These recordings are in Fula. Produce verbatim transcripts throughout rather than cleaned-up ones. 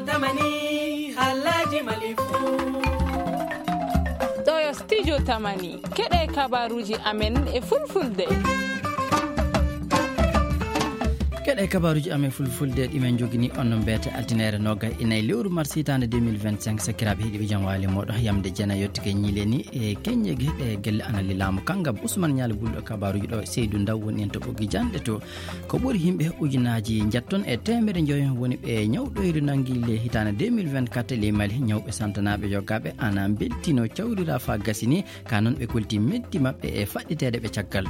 Tamani, halaji malifu. Ɗo yo studio Tamani. Keɗe kabaruji amen e fulfulde. Keɗe kabaruji amen fulfulde ɗimen jogini on no mbete altinaire nogay e nayi lewru mars hitande deux mille vingt-cinq. Sakiraɓe heɗiɓe jam wali moɗo yamde jena yettude ñiile ni e keññe geɗe gelle ana lilamu kangam Ousmane Ñaali Bulɗo kabaruji ɗo Seydou Ndaw woni en to ɓoggi janɗe to. Ko ɓuri yimɓe ujunaji njetton e teemere njoyo woni ɓe ñawɗoyri nangi le hitande deux mille vingt-quatre ley Mali. Ñawɓe santanaɓe yogaɓe ana beltino cawrira fa gasini ka noon ɓe kolti meddi maɓɓe e faɗɗiteede ɓe caggal.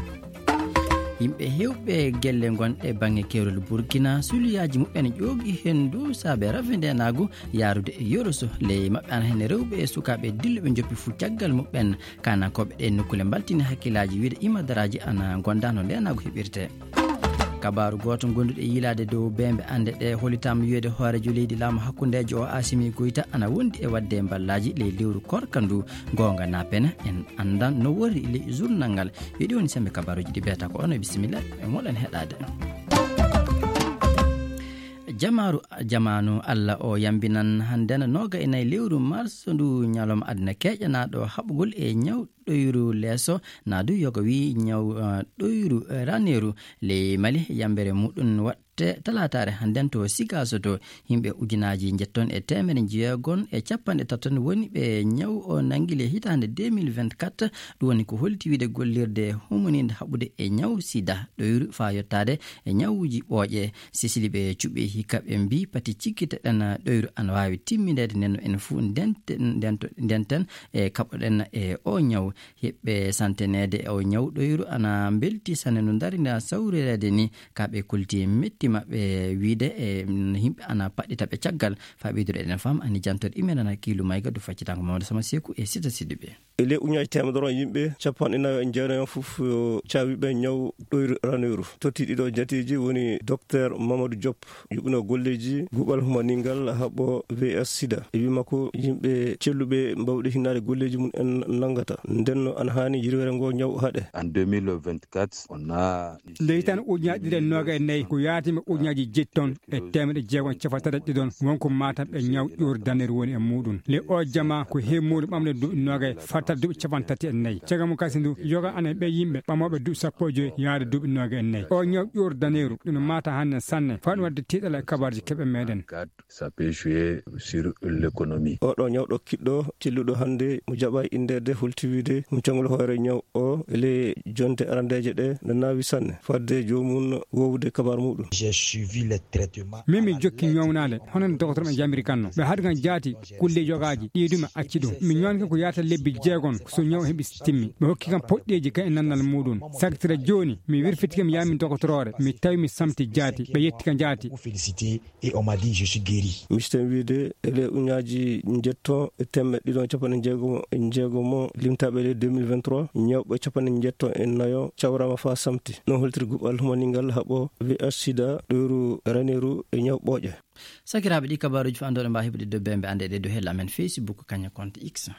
Yimɓe heewɓe gelle gonɗe bannge keerol Burkina, suliyaaji muɓɓen ƴoogi heen dow saabe rafi ndeenaagu yaarude e yoroso. Ley maɓɓe ana heen rewɓe e sukaaɓe dilluɓe njoppi fuu caggal muɓɓen. Kaanankooɓe ɗee nokkuule mbaltini hakkillaaji wiyde imadaraaji ana gonda no ndeenaagu heɓirtee. Kabaaru gooto gonduɗo e yiilaade dow beembe annde ɗe hollitaama wiyde hooreejo leydi laamu hakkundeejo o Asimi Goyta ana wondi e waɗde mballaaji ley lewru korka ndu. Goonga na pene en anndan no wori ley journal ngal. Yo ɗi woni sembe kabaruuji ɗi beeta ko ono e bisimilla e moɗon heɗaade. Jamaaru jamaanu Allah o yambinan hannden nooga e nayi lewru mars ndu ñalawma aduna keeƴanaaɗo haɓugol e ñaw ɗoyru leeso na du yoga wi ñaw eh, ɗoyru eh, raneeru ley Mali yambere muɗum waɗte talaataare hannden to Sigaso to. Yimɓe ujunaaji njetton e teemere njeegon e capanɗe taton woni ɓe ñaw o nangi le hitaande deux mille vingt-quatre. Ɗum woni ko holti wiide gollirde humuninde haɓude e ñaw sida ɗoyru faa yottaade e ñawuuji ɓooƴe. Sesili ɓe cuɓi hikka ɓe mbii pati cikkiteɗen ɗoyru ana waawi timmineede nden no en fuu ndente- ndento- ndenten e kaɓoɗen e o ñaw. Heɓɓe santeneede o ñaw ɗoyru ana mbelti sane no ndarina sawreede ni. Ka ɓe kulti metti maɓɓe wiide e mm, yimɓe ana paɗɗita ɓe caggal. Faa ɓeydude eɗen fam ani jantoɗe imen ana kiilu mayga du faccitango Mamadou Sama Seku e Sita Siddiɓe. E ley uñaaji teemedere on yimɓe capanɗe nayo e jeenayo fof cawiɓe ñaw ɗoyru raneeru. Totti ɗiɗo jateeji woni Docteur Mamadou Diop yuɓino golleeji guɓal humaningal haɓɓo V S sida. E wi makko yimɓe celluɓe mbawɗe hinnaade golleeji mum en nanngata. Ndenno ana haani yirwere ngo ñaw haɗe. En deux mille vingt-quatre, on a nde hitan ujunaaji ɗiɗi e nooga e nayi ko yaatimi ujunaaji jetti ton e teemedde jeegom capanɗe tati ɗiɗon wonko matam ɓe ñaw ƴuur daneru woni e muɗum. Le o jama ko heemuɗo ɓamde duuɓi nooga e fattal duuɓi capanɗe tati e nayi cagamu kasi ndu yoga ana ɓe yimɓe ɓamooɓe duuɓi sappo e joyi yaade duuɓi nooga e nayi o ñaw ƴuur daneru ɗum mata hannde sanne faɗum wadde tiiɗal e kabarji keɓe meɗen. Ça peut jouer sur l'économie. Oɗo ñawɗo kiɗɗo celluɗo hannde mo jaɓa indeede holti wiide mo cangol hoore ñaw o ele jonte arandeeje ɗe no naawi sanne fadde joomum wowde kabar muɗum. J'ai suivi les traitements. Min mi jokki ñawnaade hono no dogotoreɓe jamiri kanno ɓe haɗi kan jaati kulle yogaaji ɗiɗum acci ɗum mi ñoonki ko yaata lebbi jeegom so ñaw heɓi timmi ɓe hokki kam poɗɗeeji kan e nannal muɗum sagtira jooni mi wirfiti kam yaami dogotoroore mi tawi mi samti jaati ɓe yetti ka jaati. Et on m'a dit, je suis guéri. Misten wiide ele uñaaji njetton e temme ɗiɗon capanɗe jeegomo e jeegomo limtaɓe ele deux mille vingt-trois ñawɓe capanɗe njetton e nayo cawrama fa samti non holtiri guɓal humaningal haɓo V H sida ɗoyru raneeru e ñaw ɓooƴe. Sakiraaɓe ɗi kabaruuji fandoɗo mba heɓude dow bembe ande ɗe dow hella amen Facebook kaña compte X.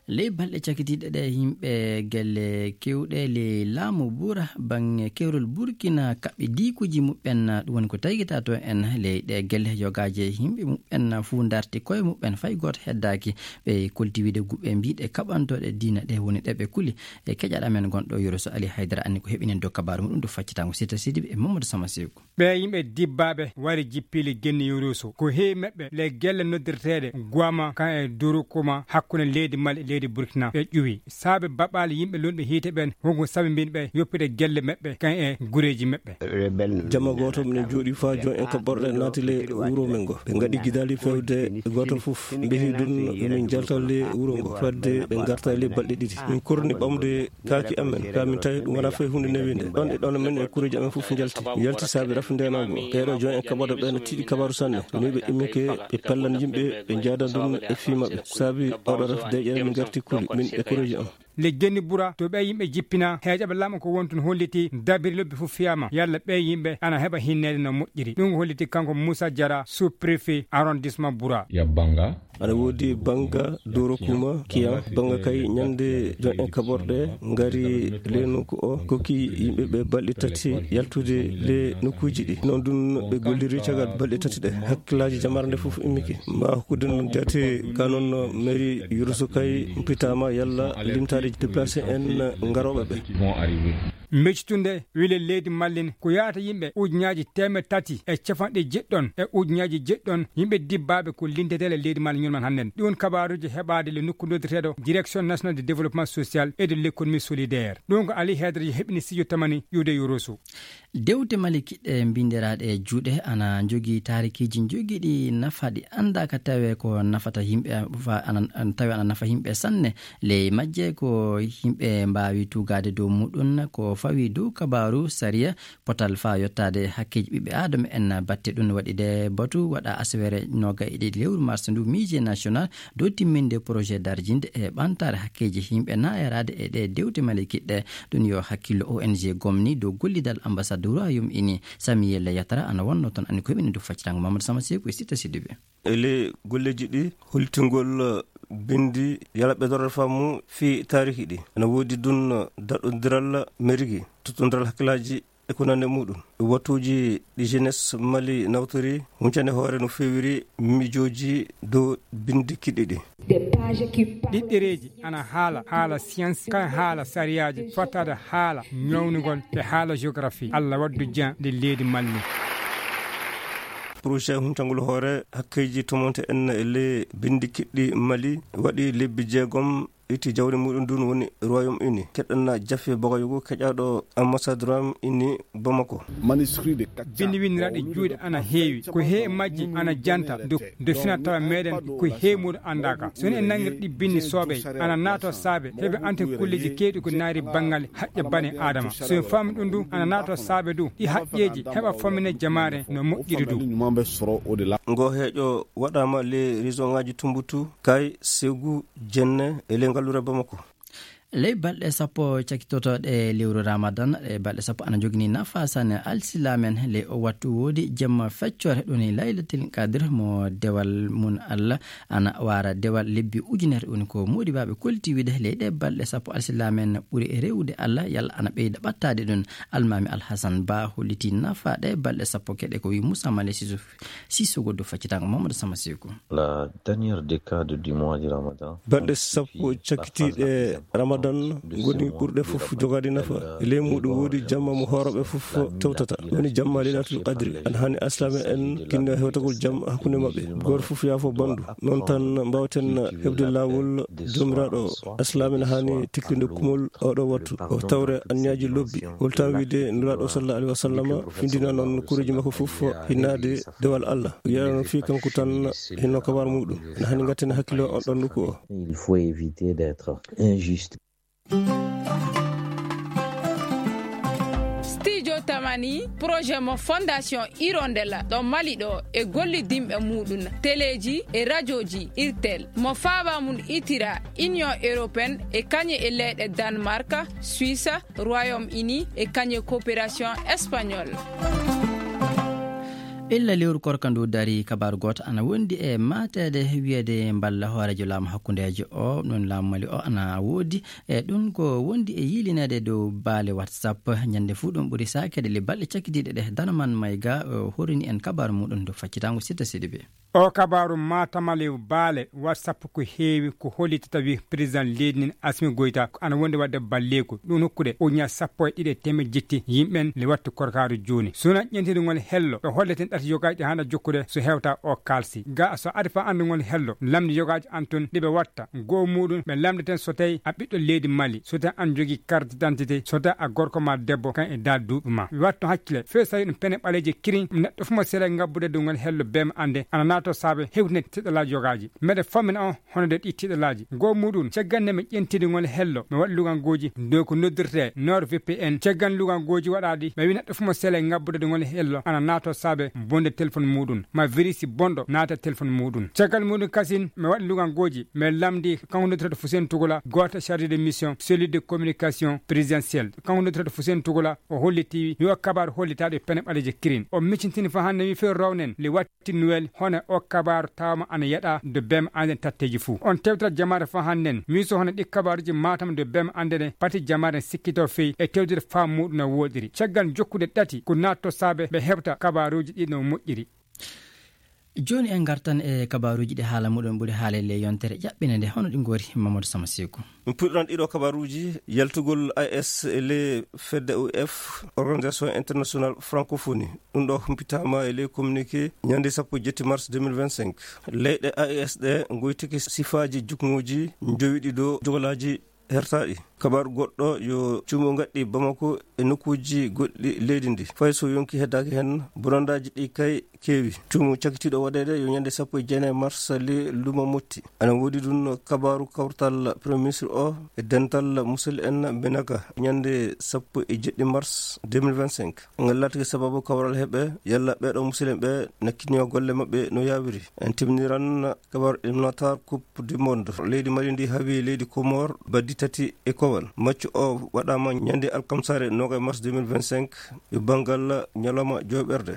Ley balɗe cakitiiɗe ɗe yimɓe gelle kewɗe ley laamu bura bange kewrol Burkina kaɓɓi diikuji muɓɓen ɗum woni ko taygita to en ley ɗe gelle yogaaje yimɓe muɓɓen fuu darti koye muɓɓen fay gooto heddaaki. Ɓe kolti wiide guɓɓe mbiɗe kaɓantooɗe diina ɗe woni ɗe ɓe kuli. E keƴaɗo amen gonɗo yoro so Ali Haydara anni ko heɓinen dow kabaaru muɗum dow faccitango Sita Sidibe e Mamadou Sama Seku. Ɓee yimɓe dibbaaɓe wari jippiili genni Yurusu. Ko heewi maɓɓe le gelle noddirteeɗe Guama kan e Durukuma hakkunde leydi Mali e leydi Burkina ɓe ƴuwi. Saabe baɓaali yimɓe lunɓe hiite ɓen wonko sabi mbin ɓe yoppide gelle maɓɓe kan e gureeji maɓɓe. Jamma gooto minen jooɗi faa jon en kaɓɓorɗe naati le wuro men ngo. Ɓe ngaɗi gidaali fewde gooto fof. Mbehi ɗum min jalta le wuro ngo. Fadde ɓe ngarta le balɗe ɗiɗi. Min korni ɓamde kaaki amen ka min tawi ɗum wona fay hunde newinde ɗon e ɗon min e kureeji amen fof njalti yalti saabi rafi ndenaagu ɓeeɗo jooni en kaɓoto ɓe no tiiɗi kabaru sanne ni ɓe immike ɓe pellan yimɓe ɓe njaadan ɗum e fii maɓɓe saabi oɗo raf deƴere min ngarti kuli min e kureeji am. Le genni bura to ɓe yimɓe jippina heejaɓe laamu ko wontun holliti dabiri lobbi fof fiyama yalla ɓe yimɓe ana heɓa hinneede no moƴƴiri ɗum holliti kanko Moussa Diara sous préfet arrondissement bura. Yabbanga. Aɗa woodi bannga Doro Kuma Kiyan, bannga kay ñande jon en kaɓorɗe ngari le nokku o, kokki yimɓe ɓe balɗe tati yaltude le nokkuuji ɗi. Noon ɗum ɓe golliri caggal balɗe tati ɗe. Hakkillaaji jamare nde fof immike. Ma hokkude noon jaate ka noon mairie Yoroso kay mpitaama yalla limtaade déplacé en ngarooɓe ɓe. Meccitunde wile leydi Mali ko yahata yimɓe ujunnaaji teemeɗɗe tati e capanɗe jeɗɗon e ujunnaaji jeɗɗon yimɓe dibbaaɓe ko lindetee e leydi Mali ñalngu hannde. Ɗum kabaaruuji heɓaade le nokku noddirteeɗo Direction Nationale de Développement Social et de l'Économie Solidaire. Ɗum ko Ali Haydara heɓini studio tamani iwde Yoroso. Dewte Mali kiɗɗe mbindiraaɗe e juuɗe ana njogii taarikiiji njogiiɗi nafa ɗi anndaaka tawi ko nafata yimɓe, fa-, ana, ana tawi ana nafa yimɓe sanne. Ley majje ko yimɓe mbaawi tuugaade dow muɗum ko fawi dow kabaaru sariya potal faa yottaade hakkeeji ɓiɓɓe aadama en. Batte ɗum waɗi de batu waɗa asawere nooga e ɗiɗi lewru mars ndu, Musée National dow timminde projet darjinde e ɓantaare hakkeeji yimɓe naayaraade e ɗe dewte Mali kiɗɗe. Ɗum yo hakkillo O N G gomni dow gollidal ambassade Royaume Uni, Samuel Yatara, ana wonno toon. Anni ko heɓini dow faccitango Mamadou Sama Seeku e Sita Sidibé. E ley golleeji ɗi, hollitingol, eh, binndi yalaɓe dorata faamu fii taariki ɗi. Ana woodi ɗum, eh, daɗɗondiral merigi, tottondiral hakkillaaji e ko nandi e muɗum. Wattuuji ɗi jeunesse Mali nawtori, huncani hoore no feewiri miijooji dow binndi kiɗɗi ɗi. Ɗiɗɗereeji ana haala, haala science, kay haala sariyaaji, fottaade haala ñawnugol e haala géographie. Allah waddu jam nde leydi Mali. Projet huncangol hoore hakkeeji tomonte en e ley binndi kiɗɗi Mali waɗi lebbi jeegom, itti jawdi muɗum ndun woni Royaume Uni. Keɗɗanna Jafe Bagayoko, keƴaaɗo ambassade Royaume Uni Bamako. Binndi winndiraaɗi juuɗe ana heewi. Ko he majji ana janta do, do fina tawa meɗen ko he muɗum anndaaka. So en nangir ɗi binndi soobey, ana naato saabe heɓe ante kulleeji keewɗi ko naari banngal haqqe bane Aadama. So en faami ɗum du, ana naato saabe du, ɗi haqqeeji heɓa famine jamaare no moƴƴiri du. Ngo heeƴo waɗaama le région ŋaaji Tumbutu, Kay, Segu, Jenne e ley ngalluure Bamako. Ley balɗe sappo cakkitotooɗe lewru Ramadan, ɗe balɗe sappo ana njogini nafa sanne alsilamen. Ley o wattu woodi jemma feccoore ɗum ni Laylatil Qadr mo dewal mun Allah ana wara dewal lebbi ujunere. Ɗum ko moodi baɓe kolti wiide ley ɗe balɗe sappo alsilamen ɓuri e rewude Allah, yalla ana ɓeyda ɓattaade ɗum. Almami Alhasan Ba holliti nafa ɗe balɗe sappo keɗe ko wi Moussa Male Sissouf. Sissouf Goddo faccitango Mamadou Sama Seeku. La dernière décade du mois de Ramadan. Balɗe sappo cakkitiiɗe Ramadan ngoni ɓurɗe fof jogaade nafa. E ley muɗum woodi jamma mo hoorooɓe fof tewtata. Woni jamma Leylatul Qadri. Ana hani alsilaame en kinno hewtagol jam hakkunde maɓɓe. Gooto fof yaafo bandu. Noon tan mbaawaten heɓde laawol Joomiraaɗo. Alsilaame ene hani teklinde kumol oɗo wattu. O tawre anniyaaji lobbi. Holtan wiide Nulaaɗo sallallahu alaihi wa sallam findina noon kureeji makko fof hinnaade dewal Allah. Yiyata noon fii kanko tan hinno kabar muɗum. Ene hani ngatten hakkilo on ɗon nokku o. Il faut éviter d'être injuste. Studio Tamani, projet mo Fondation Hirondelle ɗo Mali ɗo e gollidinɓe muɗum, teleeji e rajooji, irtel, mo faaba mum itira Union Européenne e kañe e leyɗe Danemark, Suisse, Royaume Uni e kañe coopération espagnole. Illa lewru korka ndu dari, kabaaru gooto ana wondi e maateede wiyeede mballa hooreejo laamu hakkundeejo o, ɗum laamu Mali o ana woodi. E ɗum ko wondi e yiilineede dow baale WhatsApp. Ñande fuu ɗum ɓuri saakeede le balɗe cakkitiiɗe ɗe. Danaman Mayga, o horini en kabaaru muɗum dow faccitango Sitta Sidibe. O kabaaru maatamalew baale WhatsApp ko heewi ko hollitata wi président leydi ndin Assimi Goïta ko ana wondi waɗde balleeku. Ɗum hokkude ujunnaaji sappo e ɗiɗi e teemeɗɗe jetti yimɓen le wattu korkaaru jooni. Sona ƴentidi ngol hello, ɓe holleten ɗate yogaaji ɗi haana jokkude so hewta o kaalsi. Ga so ari fa anndi ngol hello, lamndi yogaaji an tun ɗi ɓe watta. Goo muɗum ɓe lamndeten so tawi a ɓiɗɗo leydi Mali, so tawi an jogii carte d'identité, so tawi a gorko ma debbo kan e daal duuɓi ma. Wattu hakkile, fee so tawi ɗum pene ɓaleeje kirin, neɗɗo fof mo sere ngabbude ngol hello bee ma annde, ana naato saabe hewtinde tiɗalaaji yogaaji. Meɗe fammina on hono nde ɗi tiɗalaaji. Goo muɗum, caggal nde mi ƴentidi ngol hello, mi waɗi lugangooji dow ko noddirtee NordVPN. Caggal lugangooji waɗaaɗi, mi wi neɗɗo fof mo sere ngabbude ngol hello, ana naato saabe bonde téléphone muɗum. Ma virus bonɗo naata téléphone muɗum. Caggal muɗum kasin, mi waɗi lugangooji, mi lamndi kanko noddirtee Fuseni Tugola, gooto chargé de mission, cellule de communication présidentielle. Kanko noddirtee Fuseni Tugola, o holliti yo kabaaru hollitaaɗo e pene ɓaleeje kirin. O miccintini fa hannde wi few rawnen, le watti Noël, hono o kabaaru tawama ana yeɗa do bem anden tatteji fuu. On tewtata jamaare fa hannden, miiso hono ɗi kabaaruji matam do bem andene pati jamaare sikkito fey e tewtude faamu muɗum no woɗiri. Caggal jokkude ɗati ko natto saabe ɓe heɓta kabaaruji ɗi no moƴƴiri. Jooni en ngartan e kabaaruuji ɗi haala muɗum ɓuri haale ley yontere ƴaɓɓinde nde, hono ɗi ngori Mamadou Sama Seeku. Min puɗɗiran ɗiɗo kabaaruuji, yaltugol A S e ley fedde U F, Organisation International Francophonie. Ɗum ɗo humpitaama e ley communiqué ñande sappo e jetti mars deux mille vingt-cinq. Leyɗe A S ɗe ngoytike sifaaji jukngooji njowiɗi dow jogolaaji hertaaɗi. Kabaaru goɗɗo yo cuumu ngaɗɗi Bamako e nokkuuji goɗɗi leydi ndi. Fay so yonki heddaaki heen, bonandaaji ɗi kay keewi. Cuumu cakitiiɗo waɗeede yo ñande sappo e jeenayi mars ley lumo Motti. Ana woodi ɗum kabaaru kawtal Premier Ministre o e dental musidɓe en Benaka ñande sappo e jeɗɗi mars deux mille vingt-cinq. Ngal laatike sababu kawral heɓe yalla ɓeeɗo musidɓe ɓe nakkiniyo golle maɓɓe no yaawiri. En timniran kabaaru éliminatoire Coupe du Monde. Leydi Mali ndi hawi leydi Comore baddi tati e kowal. Match o waɗaama ñande alkamsare noogay mars deux mille vingt-cinq e banngal ñalawma jooɓerde.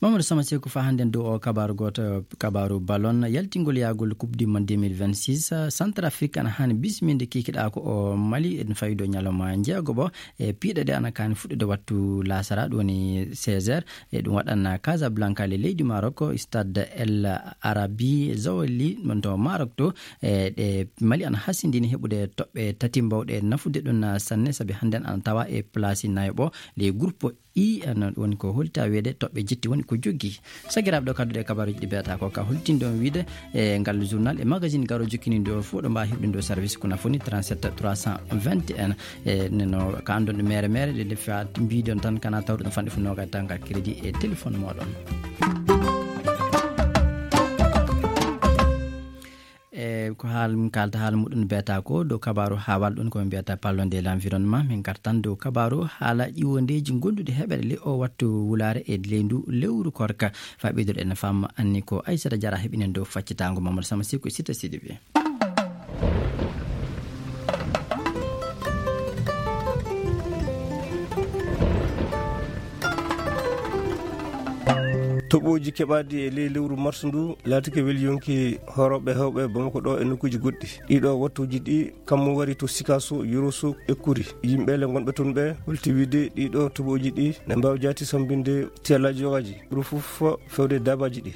Mamadou Sama Seeku, fa hannden dow o kabaaru gooto, kabaaru ballon, yaltingol yaagol Coupe du Monde deux mille vingt-six, Centrafrique ana haani bisminde kikiɗaa ko o Mali en fawido ñalawma jeegoɓo e piiɗe ɗe ana kaani fuɗɗude wattu laasara, ɗum woni seize heures. E ɗum waɗan Casablanca le leydi Maroc, Stade El Arabi Zawali, ɗon to Maroc to. E ɗe Mali ana hasindini heɓude toɓɓe tati mbawɗe nafude ɗum sanne, sabi hannden ana tawa e place nayoɓo ley groupe I, ana woni ko holta wiyeede toɓɓe jetti woni ko joggi. Sagiraaɓe, ɗo kadduɗe kabaaruuji ɗi mbiyata ko ka holtinde on wiide e ngal journal e magazine garo jokkini ɗo fof ɗo mbaawa heɓde ɗo service ko nafoni trente-sept trois cent vingt et un. E neno ka andon ɗo mere mere ɗe defa mbiɗon tan kana tawde ɗo fanɗe fu noga tanga crédit e téléphone moɗon. E ko haal min kalta haala muɗum mbiyata ko dow kabaaru haawal ɗum ko min mbiyata parlons de l'environnement, min gartan dow kabaaru haala ƴiwondeeji gonduɗi heɓere le o wattu wulaare e ley ndu lewru korka. Fa ɓeyduɗo en fam anni ko Aissata Diarra heɓinen dow faccitango Mamadou Sama Seeku e Sita Sidibé. Toɓooji keɓaaɗi e ley lewru mars ndu laatike weli yonki horooɓe heewɓe Bamako ɗo e nokkuuji goɗɗi. Ɗiɗo wattuuji ɗi kammu wari to Sikaso, Yoroso e Kuri. Yimɓe le ngonɓe toon ɓe holti wiide ɗiɗo toɓooji ɗi ne mbaawi jaati sambinde tiyalaaji yogaaji, ɓuri fof fewde daabaaji ɗi.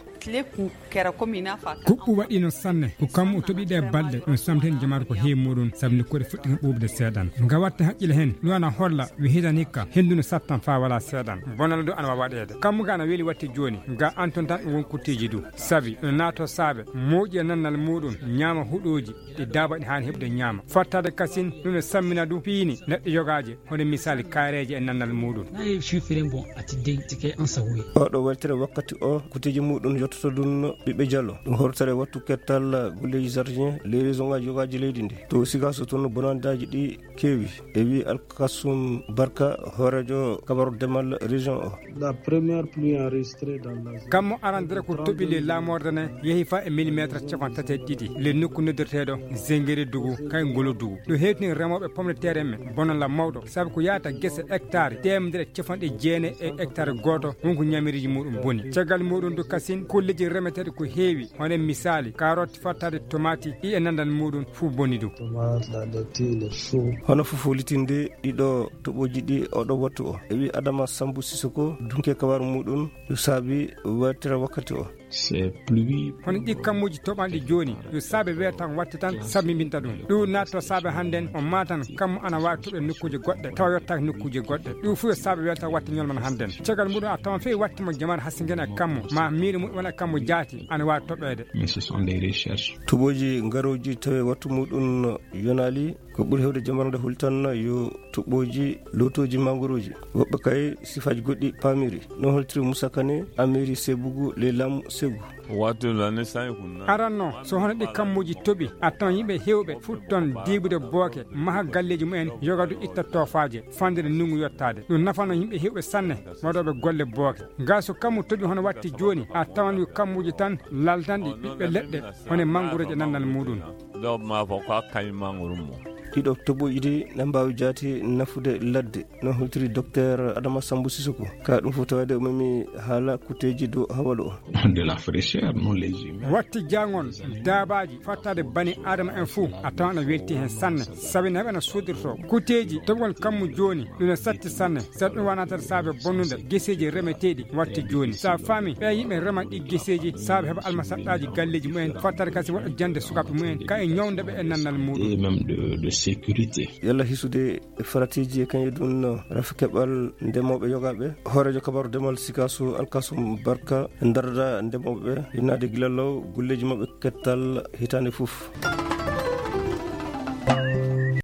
Kuɓɓu waɗiino sanne, ko kammu o toɓi ɗe balɗe, ɗum samtini jamaatu ko heewi muɗum, sabu nokkuure fuɗɗi kam ɓuuɓde seeɗan. Nga watta haqqille heen, ɗum ana holla, wi hiɗan hikka, henndu no sattan faa wala seeɗan. Bonal du ana waawa waɗeede. Kammu ga ana weli watte jooni, ga anton tan ɗum won kutteeji du. Sabi, no naato saabe, mooƴi e nannal muɗum, ñaama huɗooji, ɗi daaba ɗi haani heɓde ñaama. Fattaade kasin, ɗum no sammina du, piini, neɗɗo yogaaje, hono misaali kaareeje e nannal muɗum. Nayi fifiren bon ati dey tike an sahuye. Oɗo weltere wakkati o, kuteeji muɗum yottoto ɗum ɓiɓɓe Jallo. Ɗum hortere wattu kettal golleeji jardin, les raisons ngaji yogaaji leydi ndi. To Sikaso toon bonandaaji ɗi keewi. E wi Alkasum Barka, hooreejo kabaru demal région o. La première pluie enregistrée dans la zone. Kammu arandere ko toɓi le lamorde ne yehi fa e millimetre capanɗe tati e ɗiɗi. Le nokku noddirteeɗo Zengere Dugu, kay ngolo Dugu. Ɗo hewtini remooɓe pomme de terre en ɓe. Bonanla mawɗo, sabu ko yaata gese hectare teemedere e capanɗe jeenayi e hectare gooto, won ko ñaamiriiji muɗum boni. Caggal muɗum du kasin, kolleeji remeteeɗi ko heewi, hono e misaali, karotti fattaade tomati, ɗi e nandal muɗum fuu boni du. Tomate, la laitue, le chou. Hono fof holitinde ɗiɗo toɓooji ɗi oɗo wattu o. E wi Adama Sambu Sisoko, dunke kabaru muɗum, yo saabi weltere wakkati o. C'est pluie. Hono ɗi kammuuji toɓanɗi jooni, yo saabe weetan watte tan, sabi mbinta ɗum. Ɗum naatto saabe hannden, o maatan kammu ana waawi toɓe nokkuuje goɗɗe, tawa yottaaki nokkuuje goɗɗe. Ɗum fof yo saabe weetan watte ñolman hannden. Caggal muɗum a tawan fey watte mo jamaare hasingena e kammu, ma miire muɗum wona e kammu jaati, ana waawi toɓeede. Mais ce sont des recherches. Toɓooji ngarooji tawi wattu muɗum yonaali. Ko ɓuri heewde jammarde holi tan yo toɓɓooji lootooji mangorooji. Woɓɓe kay sifaaji goɗɗi paamiri. No holtiri Moussa Kane, Amiri Sebugu, le Lam Segu. Wattu lane sañ kunna. Aranno, so hono ɗi kammuuji toɓi, a tawan yimɓe heewɓe futton diibude booke, maha galleeji mumen, yogadu itta toofaaje, fandere ndunngu yottaade. Ɗum nafano yimɓe heewɓe sanne, waɗooɓe golle booke. Ngaa so kammu toɓi hono watti jooni, a tawan yo kammuuji tan laltanɗi ɓiɓɓe leɗɗe, hono e mangorooje nannal muɗum. Ɗo ma fof ko a kañum mangoro mum. ɗiɗo toɓɓuuji ɗi ne mbaawi jaati nafude ladde. No holtiri Docteur Adama Sambu Sisoko. Ka ɗum fof tawade o memi haala kutteeji dow hawalu o. De la fraîcheur, non, les humains. Watti jangol daabaaji fattade bani Adama en fuu a tawan ana welti heen sanne. Sabi naɓe ana soodirto kuteeji toɓgol kammu jooni. Ɗum ne satti sanne. Saɗa ɗum wonatata saabe bonnude geseeji remeteeɗi watti jooni. Sa faami ɓe yimɓe rema ɗi geseeji saabe heɓa almasaɗɗaaji galleeji mumen fattade kasi waɗa jannde sukaaɓe mumen ka e ñawnde ɓe e nannal muɗum. Et même de, de sécurité. Yalla hisude e faratiiji e kañum ɗum no rafi keɓal ndemooɓe yogaaɓe. Hooreejo kabaru demal Sikaasu Alkasum Barka darda ndemooɓe ɓe innaade gila law golleeji maɓɓe kettal hitaande fof.